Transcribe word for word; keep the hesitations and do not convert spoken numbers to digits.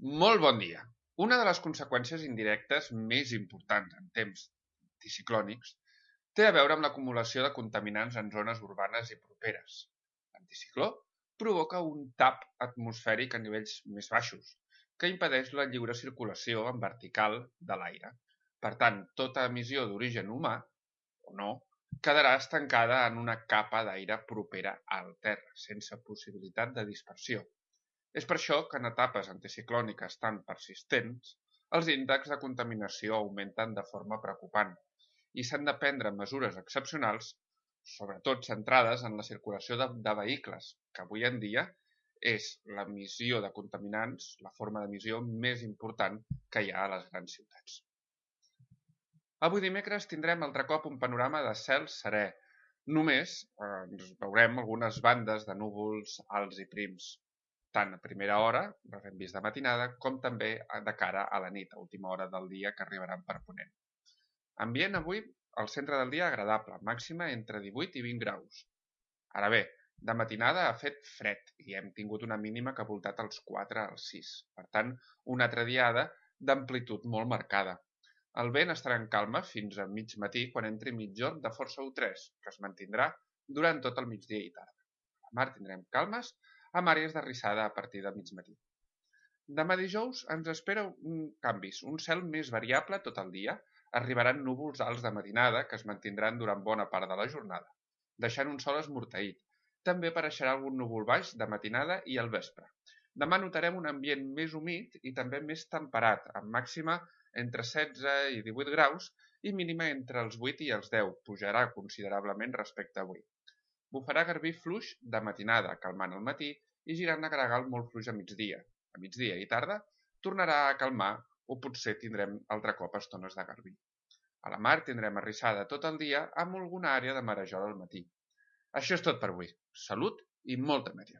Molt bon dia. Una de les conseqüències indirectes més importants en temps anticiclònics té a veure amb l'acumulació de contaminants en zones urbanes i properes. L'anticicló provoca un tap atmosfèric a nivells més baixos, que impedeix la lliure circulació en vertical de l'aire. Per tant, tota emissió d'origen humà, o no, quedarà estancada en una capa d'aire propera al terra, sense possibilitat de dispersió. És per això que en etapes anticiclòniques tan persistents, els índexs de contaminació augmenten de forma preocupant i s'han de prendre mesures excepcionals, sobretot centrades en la circulació de, de vehicles, que avui en dia és l'emissió de contaminants, la forma d'emissió més important que hi ha a les grans ciutats. Avui dimecres tindrem altre cop un panorama de cel serè. Només eh, ens veurem algunes bandes de núvols alts i prims, tant a primera hora, les hem vist de matinada, com també de cara a la nit, a última hora del dia que arribaran per ponent. Ambient avui, al centre del dia agradable, màxima entre divuit i vint graus. Ara bé, de matinada ha fet fred i hem tingut una mínima que ha voltat als quatre als sis. Per tant, una altra diada d'amplitud molt marcada. El vent estarà en calma fins a mig matí quan entri mitjorn de força u tres, que es mantindrà durant tot el migdia i tarda. A la mar tindrem calmes, amb àrees de rissada a partir de mig matí. Demà dijous ens espera un canvis, un cel més variable tot el dia, arribaran núvols alts de matinada que es mantindran durant bona part de la jornada, deixant un sol esmorteït. També apareixerà algun núvol baix de matinada i al vespre. Demà notarem un ambient més humit i també més temperat, amb màxima entre setze i divuit graus i mínima entre els vuit i els deu, pujarà considerablement respecte a avui. Bufarà garbí fluix de matinada, calmant al matí, i girant a gregal molt fluix a migdia. A migdia i tarda tornarà a calmar o potser tindrem altre cop estones de garbí. A la mar tindrem arrissada tot el dia amb alguna àrea de marejol al matí. Això és tot per avui. Salut i molta meteo.